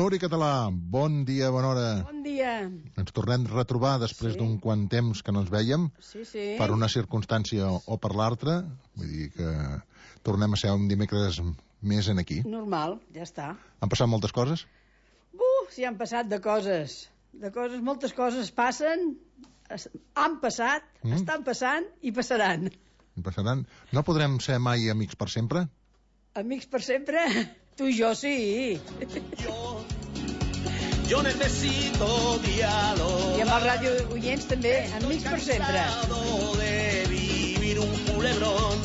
Núria Català, bon dia, bona hora. Bon dia. Ens tornem a retrobar després d'un quant temps que no ens vèiem, per una circumstància o per l'altra, vull dir que tornem a ser un dimecres més en aquí. Normal, ja està. Han passat moltes coses? Sí, han passat de coses, moltes coses passen, han passat, estan passant i passaran. No podrem ser mai amics per sempre? Amics per sempre? Tu i jo sí. Yo necesito diálogo. I amb els ràdio oients també, amics per sempre. De vivir un culebrón.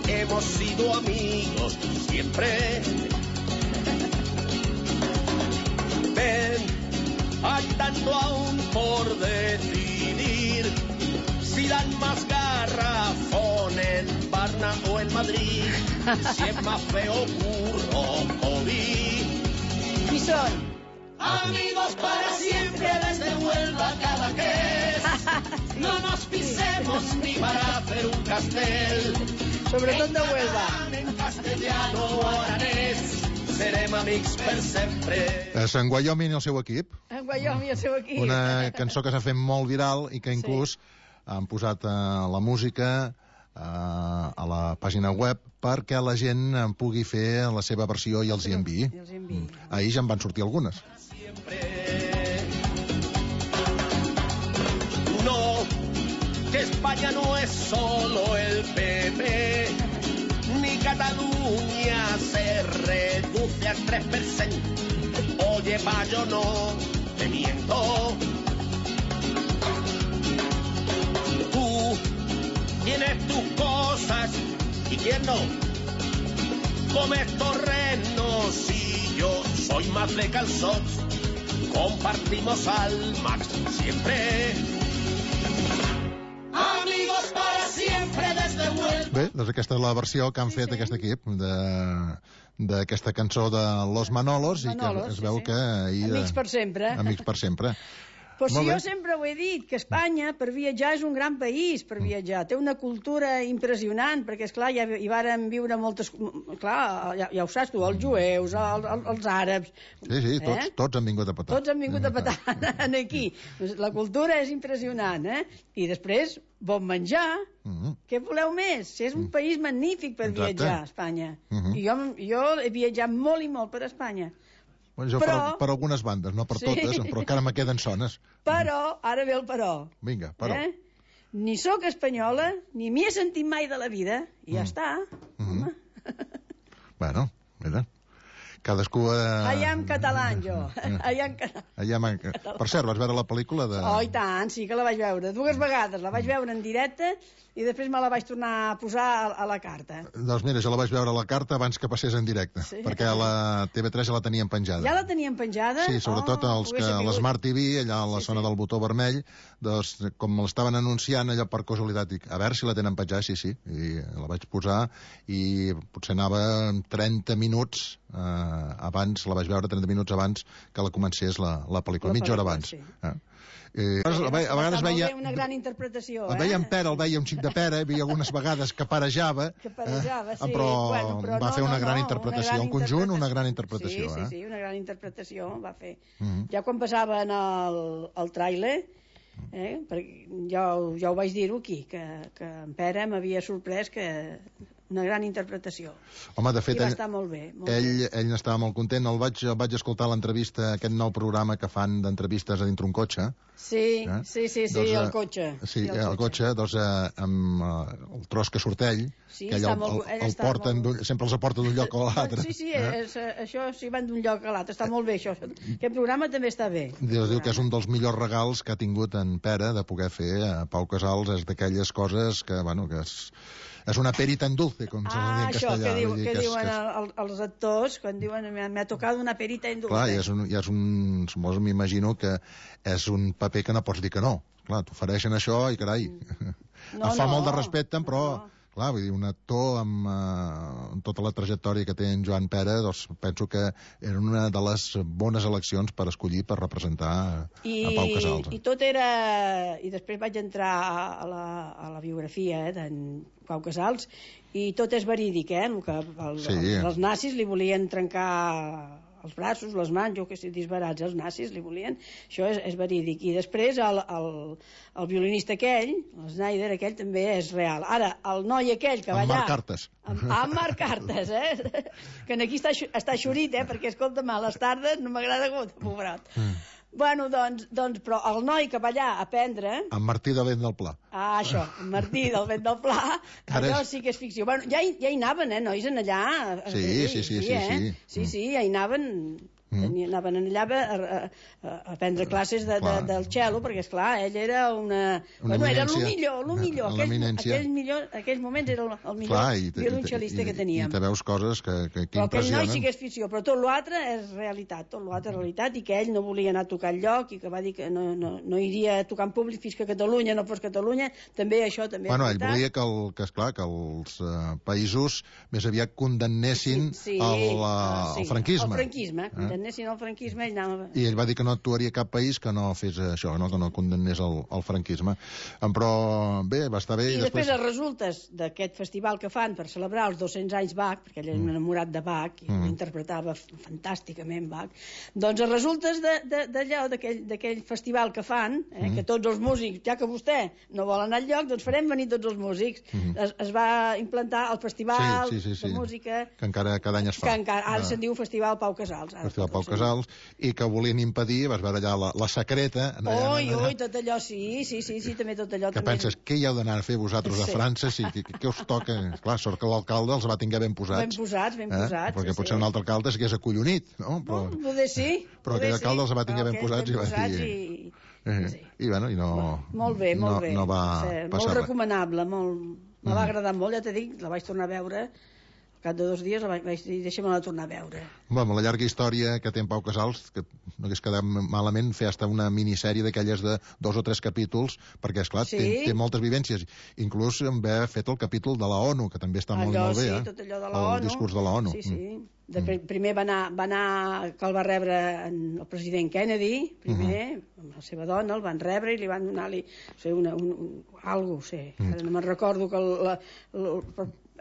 Hemos sido amigos siempre. Ven, hay tanto aún por decidir. Si dan más garrafón en Barna o en Madrid, si es más feo burro o vi. Qui són? Amigos para siempre desde Huelva cada Cadaqués. No nos pisemos ni para hacer un castel. Sobretot de Huelva. En castellano o aranès, serem amics per sempre. En Wyoming i el seu equip. En Wyoming i el seu equip. Una cançó que s'ha fet molt viral i que inclús han posat la música a la pàgina web perquè la gent pugui fer la seva versió i els hi enviï. Ahir ja en van sortir algunes. No, que España no es solo el PP, ni Cataluña se reduce al 3%. Oye, pa, yo no te miento. Tienes tus cosas y quién no. Comes torrenos y yo soy más de calzots. Compartimos al max siempre. Amigos para siempre desde Huelva. Bé, doncs aquesta és la versió que han fet aquest equip d'aquesta cançó de Los Manolos i que es veu que ahir... Amics per sempre. Amics per sempre. Però si jo sempre ho he dit, que Espanya per viatjar és un gran país per viatjar, té una cultura impressionant, perquè esclar, ja hi varen viure moltes, clar, ja ho saps tu, els jueus, els àrabs. Sí, tots han vingut a petar. Tots han vingut a petar aquí. La cultura és impressionant, I després, bon menjar, què voleu més? Si és un país magnífic per viatjar, Espanya. I jo he viatjat molt i molt per Espanya. Però, per algunes bandes, no per totes, però encara me queden sones. Però, ara ve el però. Vinga, però. Ni sóc espanyola, ni m'hi he sentit mai de la vida, i ja està. Bueno, mira, cadascú... Allà en català, jo. Per cert, vas veure la pel·lícula de... Oh, i tant, sí que la vaig veure. 2 vegades. La vaig veure en directe i després me la vaig tornar a posar a la carta. Doncs mira, jo la vaig veure a la carta abans que passés en directe, perquè a la TV3 ja la tenien penjada. Ja la tenien penjada? Sí, sobretot a l'Smart TV, allà a la zona del botó vermell, doncs com l'estaven anunciant allò per casualitat, dic, a veure si la tenen penjada, sí, i la vaig posar i potser anava 30 minuts abans, la vaig veure 30 minuts abans que la comencés la pel·lícula, mitja hora abans. A vegades veia una gran interpretació, el veia en pera, el veia un xic de pera, hi havia algunes vegades que parejava, però va fer una gran interpretació, en conjunt una gran interpretació. Sí, una gran interpretació va fer. Ja quan passaven el tràiler, perquè jo ho vaig dir-ho aquí, que en Pere m'havia sorprès que una gran interpretació. Home, de fet, va estar molt bé. Ell n'estava molt content. El vaig escoltar l'entrevista, aquest nou programa que fan d'entrevistes a dintre un cotxe. Sí, el cotxe. Sí, el cotxe, doncs, amb el tros que surt ell, que ell sempre els aporta d'un lloc a l'altre. Sí, això sí, van d'un lloc a l'altre. Està molt bé, això. Aquest programa també està bé. Diu que és un dels millors regals que ha tingut en Pere de poder fer a Pau Casals, és d'aquelles coses que, bueno, que és una peri tan dulce, com se diu en castellà. Això que diuen els actors, quan diuen me ha tocado una peri tan dulce. Clar, suposo, m'imagino que és un paper que no pots dir que no. Clar, t'ofereixen això i carai, em fa molt de respecte, però... Clar, vull dir, un actor amb tota la trajectòria que té en Joan Pere, doncs penso que era una de les bones eleccions per escollir per representar a Pau Casals. I tot era... I després vaig entrar a la biografia d'en Pau Casals i tot és verídic, que els nazis li volien trencar els braços, les mans, jo que sé, disbarats, els nazis li volien, això és verídic. I després el violinista aquell, el Snyder aquell, també és real. Ara, el noi aquell que va allà... Amb Marc Cartes. Amb Marc Cartes, que aquí està xurit, perquè, escolta'm, a les tardes no m'agrada molt, pobrat. Bueno, doncs, però el noi que va allà a aprendre... En Martí de Vent del Pla. Ah, això, en Martí del Vent del Pla, allò sí que és ficció. Bueno, ja hi anaven, nois, en allà. Sí, ja hi anaven... Anaven allà a prendre classes del cello, perquè, esclar, ell era era el millor. Aquells moments era el millor violoncel·lista que teníem. I te veus coses que però impressionen. Aquell noi sí que és ficció, però tot l'altre és realitat, i que ell no volia anar a tocar enlloc, i que va dir que no iria a tocar en públic fins que Catalunya no fos Catalunya, també això també és veritat. Ell volia que els països més aviat condemnessin el franquisme. El franquisme, condemnessin el franquisme, i ell va dir que no actuaria cap país que no fes això, que no condemnés el franquisme. Però bé, va estar bé. I després els resultes d'aquest festival que fan per celebrar els 200 anys Bach, perquè ell era un enamorat de Bach i interpretava fantàsticament Bach, doncs els resultes d'allò, d'aquell festival que fan, que tots els músics, ja que vostè no vol anar enlloc, doncs farem venir tots els músics. Es va implantar el festival de música que encara cada any es fa. Ara se'n diu Festival Pau Casals. Festival Pau Casals, i que volien impedir, vas veure allà la secreta... Oi, tot allò, sí, també tot allò... Que penses, què hi heu d'anar a fer vosaltres a França? Què us toca? Clar, sort que l'alcalde els va tinguer ben posats. Ben posats. Perquè potser un altre alcalde s'hagués acollonit, no? Poder sí. Però aquell alcalde els va tenir ben posats i va dir... I bueno, i no... Molt bé. No va passar res. Molt recomanable, me va agradar molt, ja t'he dit, la vaig tornar a veure... Al cap de 2 dies vaig dir, deixa'm-la tornar a veure. Bueno, la llarga història que té en Pau Casals, que no hagués quedat malament fer hasta una minissèrie d'aquelles de 2 o 3 capítols, perquè, esclar, té moltes vivències. Inclús en haver fet el capítol de la ONU, que també està molt bé, tot allò de la ONU. El discurs de la ONU. Primer va anar, que el va rebre el president Kennedy, amb la seva dona, el van rebre i li van donar-li algo, ara no me'n recordo que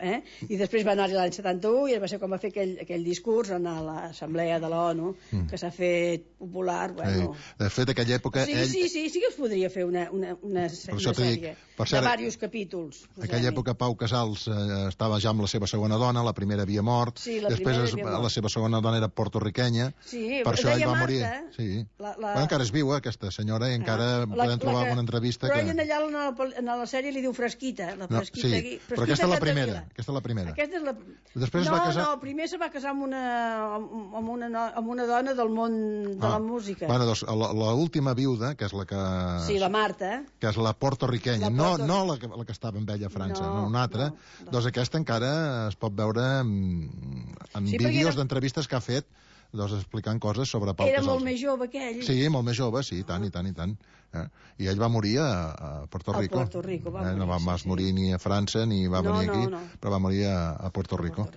i després va anar-hi l'any 71 i va ser quan va fer aquell discurs en l'assemblea de l'ONU, que s'ha fet popular. De fet, aquella època... Sí que es podria fer una sèrie de diversos capítols. Aquella època Pau Casals estava ja amb la seva segona dona, la primera havia mort, després la seva segona dona era porto-riquenya, per això ell va morir. Encara és viu, aquesta senyora, i encara podem trobar alguna entrevista. Però ell allà en la sèrie li diu Fresquita. Però aquesta és la primera. Aquesta és la primera. Després es va casar... No, primer se va casar amb una dona del món de la música. Bueno, doncs l'última viuda, que és la que... Sí, la Marta. Que és la porto-riquenya, no la que estava amb ella a França, no una altra. Doncs aquesta encara es pot veure en vídeos d'entrevistes que ha fet, doncs explicant coses sobre Pau Casals. Era molt més jove que ell. Sí, molt més jove, sí, i tant. I ell va morir a Puerto Rico. A Puerto Rico va morir. No va morir ni a França ni va venir aquí, però va morir a Puerto Rico.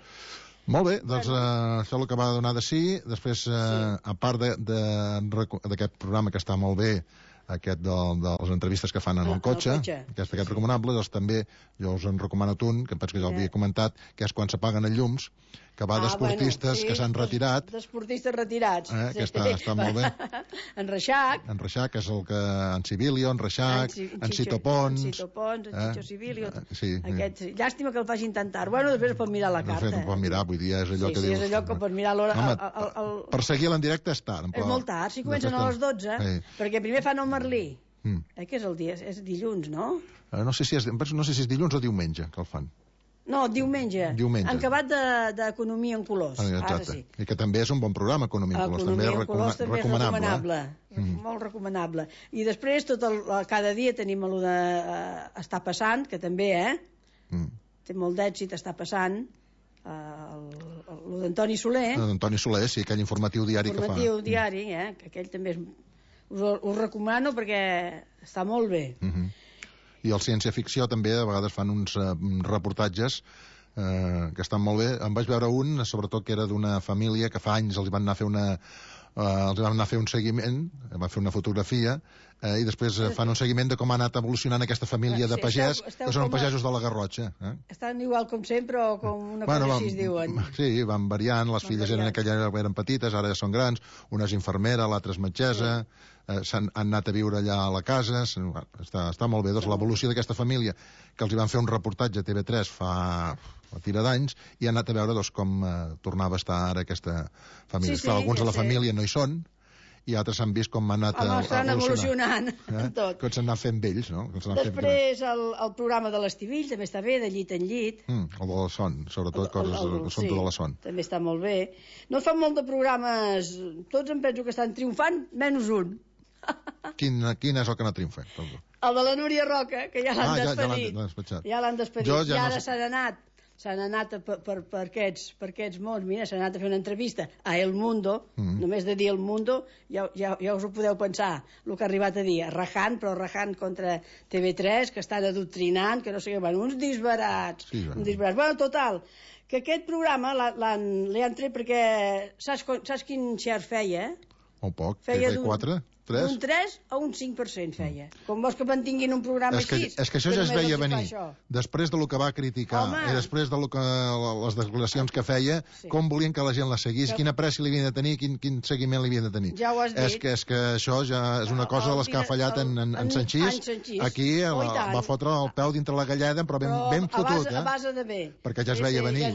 Molt bé, doncs això és el que va donar de sí. Després, a part d'aquest programa que està molt bé, aquest de les entrevistes que fan en el cotxe, aquest recomanable, doncs també jo us en recomano un, que em penso que ja l'havia comentat, que és quan s'apaguen els llums, que va d'esportistes que s'han retirat. D'esportistes retirats. Que està molt bé. En Reixac. En Reixac, que és el que... En Civilio, en Reixac, en Cito Pons. En Cito Pons, en Chicho Civilio. Llàstima que el facin tan tard. Bueno, després pot mirar la carta. Pot mirar, vull dir, és allò que dius... Sí, és allò que pot mirar l'hora... Per seguir-la en directe és tard. És molt tard, si comencen a les 12, perquè primer fan el Merlí. Que és el dia? És dilluns, no? No sé si és dilluns o diumenge que el fan. No, diumenge. En acabat d'Economia en Colors. Exacte. I que també és un bon programa, Economia en Colors. Economia en Colors també és recomanable. Molt recomanable. I després, cada dia tenim allò d'Està passant, que també, té molt d'èxit, Està passant, allò d'Antoni Soler. Antoni Soler, sí, aquell informatiu diari que fa. Informatiu diari, que aquell també us recomano perquè està molt bé. I el ciència-ficció també, a vegades fan uns reportatges que estan molt bé. Em vaig veure un, sobretot, que era d'una família que fa anys els van anar a fer els vam anar a fer un seguiment, van fer una fotografia, i després fan un seguiment de com ha anat evolucionant aquesta família de pagès, que són pagesos de la Garrotxa. Estan igual com sempre o com una cosa així es diuen? Sí, van variant, les filles en aquella eren petites, ara ja són grans, una és infermera, l'altra és metgessa, han anat a viure allà a la casa, està molt bé. Doncs l'evolució d'aquesta família, que els hi van fer un reportatge a TV3 fa tira d'anys, i han anat a veure com tornava a estar ara aquesta família. Clar, alguns de la família no hi són, i altres han vist com han anat evolucionant tot. Com s'han anat fent vells, no? Després el programa de l'Estivill també està bé, de llit en llit. El de la son, sobretot coses de la son. També està molt bé. No fan molt de programes, tots em penso que estan triomfant, menys un. Quin és el que no triomfa? El de la Núria Roca, que ja l'han despedit. Ja l'han despedit, i ara s'han anat per aquests mons. Mira, s'han anat a fer una entrevista a El Mundo, només de dir El Mundo, ja us ho podeu pensar, el que ha arribat a dir, rajant, però rajant contra TV3, que estan adoctrinant, que no sé què, uns disbarats. Bueno, total, que aquest programa l'han tret perquè saps quin share feia? Molt poc, TV4? Un 3 o un 5% feia. Com vols que mantinguin un programa així? És que això ja es veia venir. Després del que va criticar i després de les declaracions que feia, com volien que la gent la seguís, quina pressi li havien de tenir, quin seguiment li havien de tenir. Ja ho has dit. És que això ja és una cosa de les que ha fallat en Sanchís. Aquí va fotre el peu dintre la galleda, però ben fotut. A base de bé. Perquè ja es veia venir.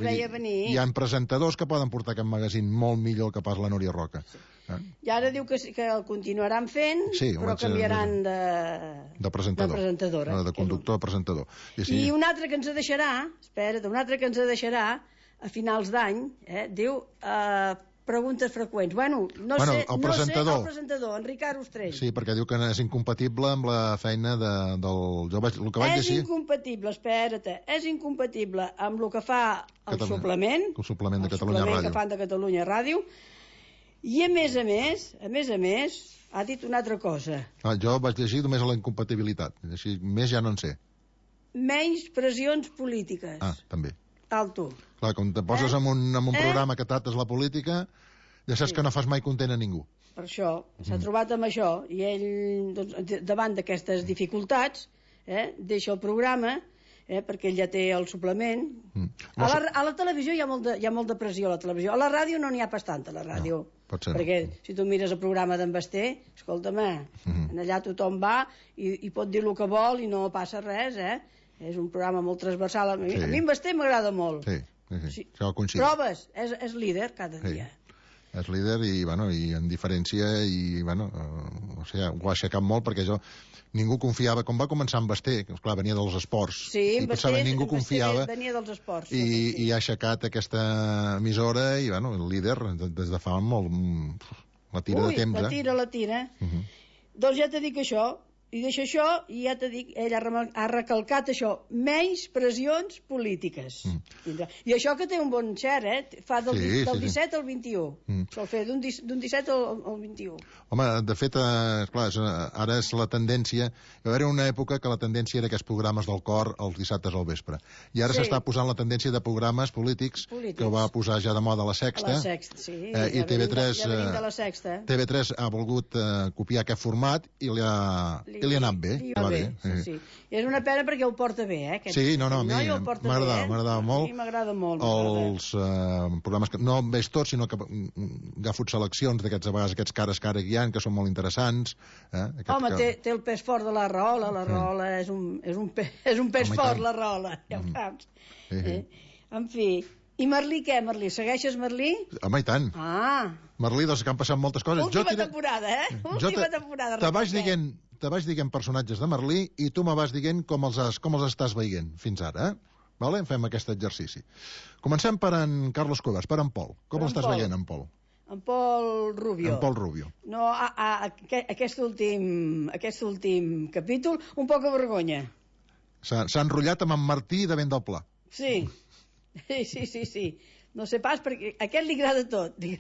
Hi ha presentadors que poden portar aquest magazín molt millor que pas la Núria Roca. I ara diu que el continuaran fent, però canviaran de presentadora. De conductor a presentador. I un altre que ens deixarà, a finals d'any, diu preguntes freqüents. Bueno, no sé, el presentador, en Ricard Ostrell. Sí, perquè diu que és incompatible amb la feina del... El que vaig llegir... És incompatible amb el que fa el suplement. El suplement de Catalunya Ràdio. Que fan de Catalunya Ràdio. I a més a més, ha dit una altra cosa. Jo vaig llegir només la incompatibilitat. Així, més ja no en sé. Menys pressions polítiques. També. Alto. Clar, quan te poses en un programa que tractes la política, ja saps que no fas mai content a ningú. Per això, s'ha trobat amb això, i ell, davant d'aquestes dificultats, deixa el programa, perquè ell ja té el suplement. A la televisió hi ha molt de pressió, a la televisió. A la ràdio no n'hi ha pas tanta, a la ràdio. Perquè si tu mires el programa d'en Basté, escolta'm, allà tothom va i pot dir el que vol i no passa res, És un programa molt transversal. A mi en Basté m'agrada molt. Sí, això ho coincidim. Proves, és líder cada dia. És líder i en diferència ho ha aixecat molt perquè ningú confiava, com va començar en Basté, que clar, venia dels esports, i pensava ningú confiava, venia dels esports, i ha aixecat aquesta emissora i el líder des de fa molt la tira de temps. La tira. Doncs ja t'he dit això, i deixa això, i ja t'he dit, ell ha recalcat això, menys pressions polítiques. I això que té un bon share, fa del 17 al 21. Sol fer d'un 17 al 21. Home, de fet, clar, ara és la tendència. Va haver una època que la tendència era aquests programes del cor els dissabtes al vespre. I ara s'està posant la tendència de programes polítics, que ho va posar ja de moda la Sexta. La Sexta, sí. I TV3 ha volgut copiar aquest format i li ha anat bé. Sí. I és una pena perquè ho porta bé, Sí, a mi m'agradava molt. A mi m'agrada molt. Els programes que no veig tots, sinó que agafo seleccions d'aquests, a vegades, aquests cares que ara guiant, que són molt interessants. Home, té el pes fort de la Rahola. La Rahola és un pes fort, la Rahola. Ja ho saps. En fi... I Merlí, què, Merlí? Segueixes Merlí? Home, i tant. Merlí, doncs que han passat moltes coses. Última temporada. Te vaig dient personatges de Merlí i tu me vas dient com els estàs veient fins ara, Vale? Fem aquest exercici. Comencem per en Carlos Cuevas, per en Pol. Com l'estàs veient, en Pol? En Pol Rubio. En Pol Rubio. No, aquest últim capítol, un poc de vergonya. S'ha enrotllat amb en Martí de Ben del Pla. Sí. No sé pas, perquè a aquest li agrada tot. Sí.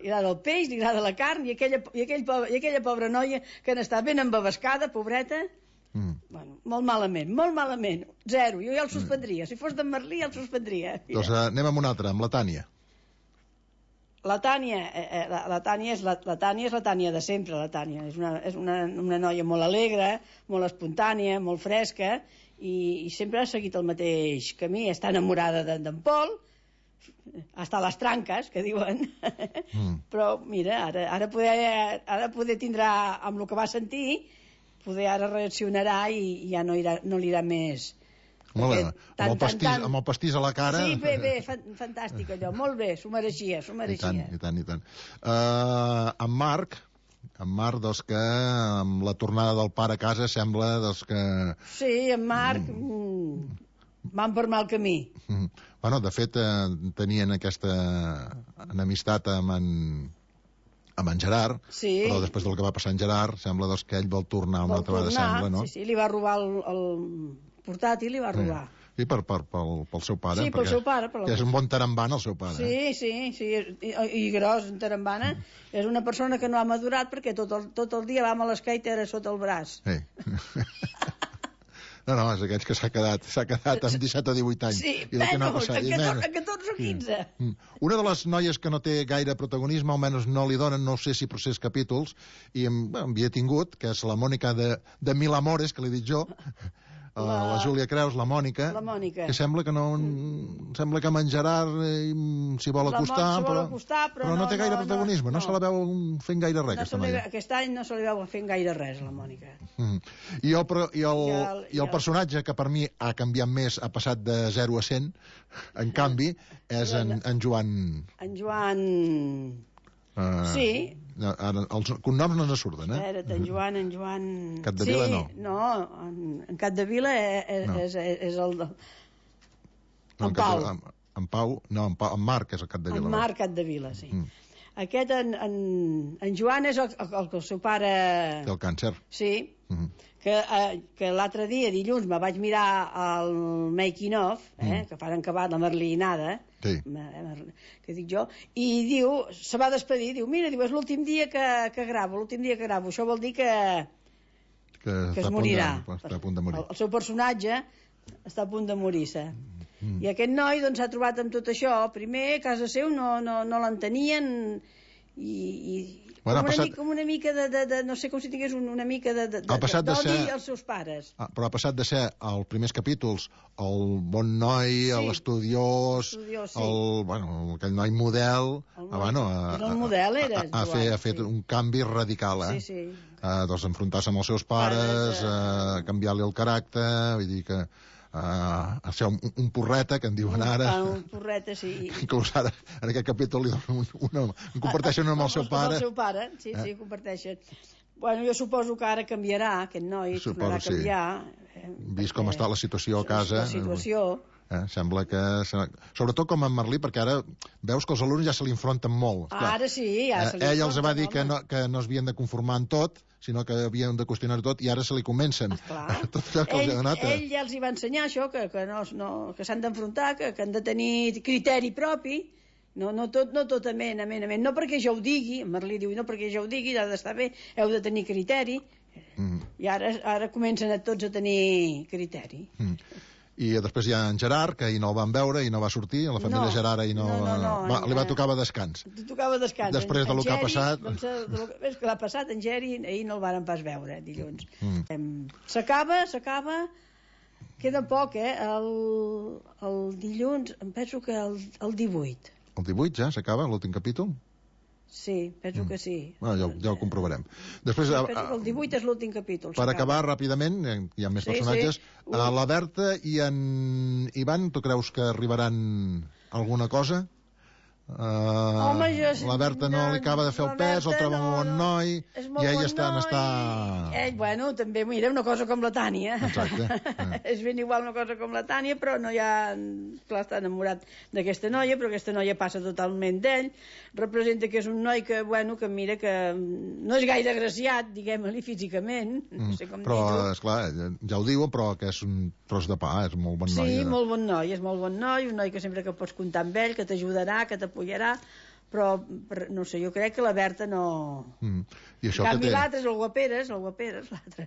Li agrada el peix, li agrada la carn, i aquella pobra noia que n'està ben embabascada, pobreta. Bueno, molt malament. 0. Jo ja el suspendria. Si fos d'en Merlí, ja el suspendria. Doncs anem amb una altra, amb la Tània. La Tània és la Tània de sempre, la Tània. És una noia molt alegre, molt espontània, molt fresca, i sempre ha seguit el mateix camí. Està enamorada d'en Pol, hasta les tranques, que diuen. Però, mira, ara poder tindrà, amb el que va sentir, poder ara reaccionarà i ja no li irà més. Molt bé, amb el pastís a la cara... Sí, bé, fantàstic allò, molt bé, s'ho mereixia. I tant. En Marc, doncs, que amb la tornada del pare a casa sembla doncs, que... Sí, en Marc van per mal camí. Bueno, de fet, tenien aquesta enemistat amb en Gerard, però després del que va passar en Gerard, sembla doncs, que ell vol tornar una altra vegada, sembla, no? Sí, li va robar el portàtil, li va robar. Sí, pel seu pare. Sí, pel seu pare. Que és un bon tarambana, el seu pare. Sí, i gros, en tarambana. És una persona que no ha madurat perquè tot el dia va amb l'esquaiter sota el braç. Sí. No, és aquells que s'ha quedat amb 17 o 18 anys. Sí, menys, a 14 o 15. Una de les noies que no té gaire protagonisme, almenys no li donen, no sé si procés capítols, i en havia tingut, que és la Mònica de Mil Amores, que l'he dit jo, la Júlia Creus, la Mònica, que sembla que amb en Gerard s'hi vol acostar, però no té gaire protagonisme, no se la veu fent gaire res, aquesta noia. Aquest any no se li veu fent gaire res, la Mònica. I el personatge que per mi ha canviat més, ha passat de 0 a 100, en canvi, és en Joan... En Joan... Sí. Ara, els cognoms no ens surten, Espera't, en Joan... Capdevila no. No, en Capdevila és el... En Pau. En Marc és el Capdevila. En Marc Capdevila, sí. Aquest, en Joan és el que el seu pare... Té el càncer. Sí, que l'altre dia, dilluns, me vaig mirar el making of, que fan acabat la Merlinada, que dic jo, i diu, se va despedir, diu, mira, és l'últim dia que gravo, això vol dir que es morirà. Està a punt de morir. El seu personatge està a punt de morir-se. I aquest noi doncs s'ha trobat amb tot això. Primer, a casa seu no l'entenien com una mica de no sé, com si tingués una mica d'odi als seus pares. Però ha passat de ser, als primers capítols, el bon noi, l'estudiós, aquell noi model, ha fet un canvi radical, doncs enfrontar-se amb els seus pares, canviar-li el caràcter, vull dir que a ser un porreta, que en diuen ara. Un porreta, sí. Inclús ara, en aquest capítol, comparteixen amb el seu pare. Amb el seu pare, sí, comparteixen. Bueno, jo suposo que ara canviarà, aquest noi, tornarà a canviar. Vist com està la situació a casa. La situació... Sembla que... Sobretot com en Merlí, perquè ara veus que els alumnes ja se li enfronten molt. Ara sí, ja se li enfronten. Ell els va dir que no es havien de conformar en tot, sinó que havien de qüestionar tot, i ara se li comencen. Tot allò que els ha donat. Ell ja els hi va ensenyar això, que s'han d'enfrontar, que han de tenir criteri propi, no tot amén. No perquè jo ho digui, en Merlí diu, no perquè jo ho digui, ha d'estar bé, heu de tenir criteri, i ara comencen tots a tenir criteri. I després hi ha en Gerard, que ahir no el van veure i no va sortir, a la família Gerard ahir li va tocar descans. Després del que ha passat... És que l'ha passat, en Geri ahir no el varen pas veure, dilluns. S'acaba, queda poc, el dilluns, em penso que el 18. El 18 ja s'acaba, l'últim capítol? Sí, penso que sí. Ja ho comprovarem. Després, el 18 és l'últim capítol. Per acabar ràpidament, hi ha més personatges. La Berta i en Ivan, tu creus que arribaran a alguna cosa? La Berta no li acaba de fer el pes, el troba molt bon noi, i ell està... Bueno, també, mira, una cosa com la Tània. Exacte. És ben igual una cosa com la Tània, però no hi ha... Clar, està enamorat d'aquesta noia, però aquesta noia passa totalment d'ell. Representa que és un noi que, bueno, que mira que no és gaire agraciat, diguem-li, físicament. No sé com dir-ho. Però, esclar, ja ho diuen, però que és un tros de pa, és un molt bon noi. Sí, molt bon noi, és molt bon noi, un noi que sempre que pots comptar amb ell, que t'ajudarà, que t'apoyarà, però no sé, jo crec que la Berta no... En canvi l'altre és el guaperes, l'altre.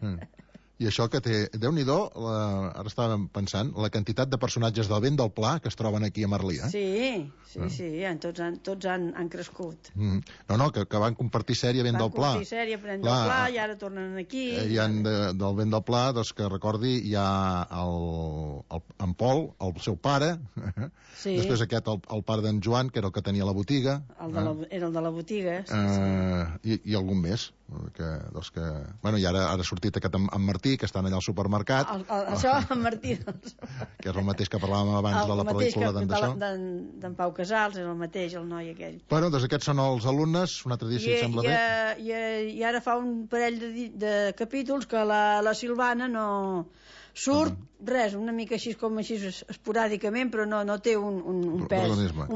I això que té... Déu-n'hi-do, ara estàvem pensant, la quantitat de personatges del Vent del Pla que es troben aquí a Merlí, Sí, tots han crescut. No, que van compartir sèrie Vent del Pla. Van compartir sèrie Vent del Pla i ara tornen aquí. Hi ha del Vent del Pla, doncs que recordi, hi ha en Pol, el seu pare, després aquest, el pare d'en Joan, que era el que tenia la botiga. Era el de la botiga, i algun més. Bueno, i ara ha sortit aquest en Martí, que estan allà al supermercat. Això, en Martí, doncs. Que és el mateix que parlàvem abans de la pel·lícula d'en Pau Casals, és el mateix, el noi aquell. Bueno, doncs aquests són els alumnes, un altre dia si et sembla bé. I ara fa un parell de capítols que la Silvana no surt, res, una mica així com així esporàdicament, però no té un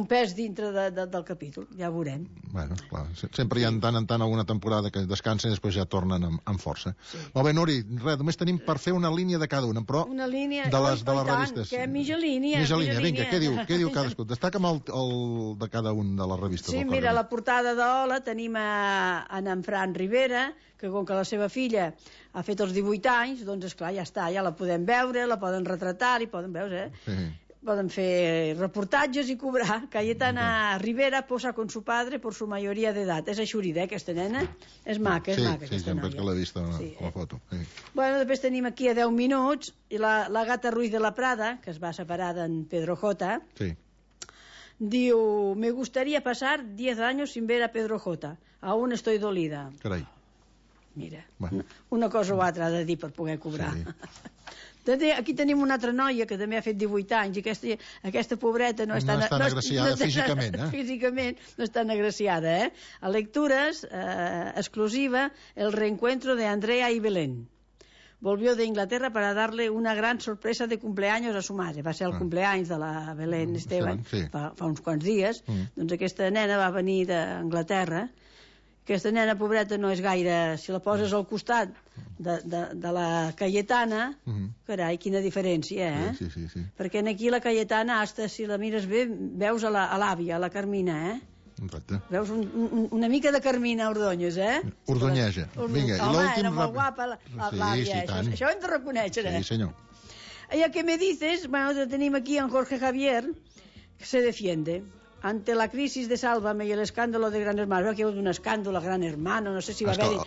pes dintre del capítol, ja ho veurem. Bueno, clar, sempre hi ha tant en tant alguna temporada que descansen i després ja tornen amb força. Molt bé, Nuri, res, només tenim per fer una línia de cada una, però una línia, de les revistes. Que mitja línia. Vinga, què diu cadascú? Destaca'm el de cada un de les revistes. Sí, mira, la portada d'Hola tenim en Fran Rivera, que com que la seva filla ha fet els 18 anys, doncs esclar, ja està, ja la podem veure, la poden retratar, i poden veure, poden fer reportatges i cobrar. Cayetana Rivera posa con su padre por su mayoría de edad. És aixurida, aquesta nena? És maca, aquesta noia. Sí, sempre que l'he vist a la foto. Bueno, després tenim aquí a 10 minuts la Gata Ruiz de la Prada, que es va separar d'en Pedro J. Diu, me gustaría pasar 10 años sin ver a Pedro J. Aún estoy dolida. Carai. Mira, una cosa o altra ha de dir per poder cobrar. Aquí tenim una altra noia que també ha fet 18 anys i aquesta pobreta no és tan agraciada físicament. Físicament no és tan agraciada. A lectures, exclusiva, el reencuentro de Andrea y Belén. Volvió de Inglaterra para darle una gran sorpresa de cumpleaños a su madre. Va ser el cumpleaños de la Belén Esteban fa uns quants dies. Doncs aquesta nena va venir d'Anglaterra. Aquesta nena pobreta no és gaire... Si la poses al costat de la Cayetana, carai, quina diferència, Sí. Perquè aquí la Cayetana, hasta si la mires bé, veus a l'àvia, a la Carmina, Exacte. Veus una mica de Carmina Ordóñez, Ordonyeja. Vinga, i l'últim... Era molt guapa l'àvia, això ho hem de reconèixer, Sí, senyor. I el que me dices, bueno, tenim aquí en Jorge Javier, que se defiende. Ante la crisis de Sálvame y el escándalo de Gran Hermano, que hi ha hagut un escàndol a Gran Hermano, no sé si va haver-hi...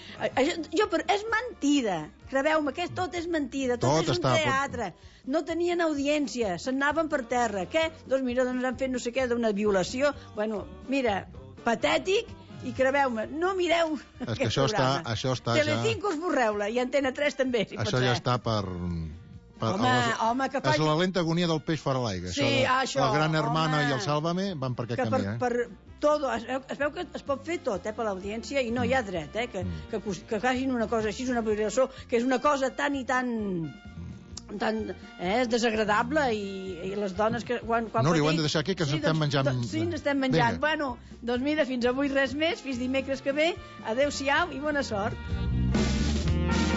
Però és mentida, creveu-me, que tot és mentida, tot és un teatre. No tenien audiència, s'anaven per terra. Què? Doncs mira, han fet no sé què d'una violació. Bueno, mira, patètic, i creveu-me, no mireu aquest programa. Això està Telecinco esborreu-la, i Antena 3 també, si pot ser. Això ja està per... Home, que faci... És la lenta agonia del peix fora l'aigua. Sí, això. La Gran Hermana i el Sálvame van per aquest camí, Es veu que es pot fer tot, per l'audiència, i no hi ha dret, que facin una cosa així, una violació, que és una cosa tan i tan desagradable, i les dones que Núria, ho hem de deixar aquí, que ens estem menjant. Sí, ens estem menjant. Bueno, doncs mira, fins avui res més, fins dimecres que ve, adeu-siau i bona sort.